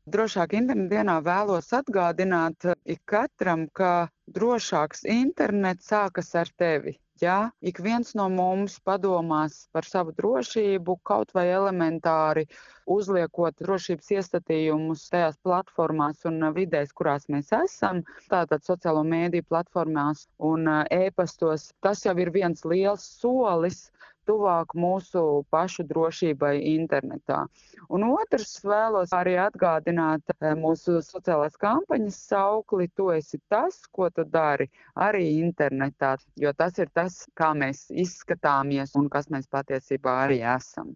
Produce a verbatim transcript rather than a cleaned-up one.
Drošāk interneta dienā vēlos atgādināt ikatram, ka drošāks internets sākas ar tevi. Ja ik viens no mums padomās par savu drošību, kaut vai elementāri uzliekot drošības iestatījumus tajās platformās un vidēs, kurās mēs esam, tātad sociālo mēdīju platformās un e-pastos, tas jau ir viens liels solis tuvāk mūsu pašu drošībai internetā. Un otrs vēlos arī atgādināt mūsu sociālās kampaņas saukli, tu esi tas, ko tu dari arī internetā, jo tas ir tas, kā mēs izskatāmies un kas mēs patiesībā arī esam.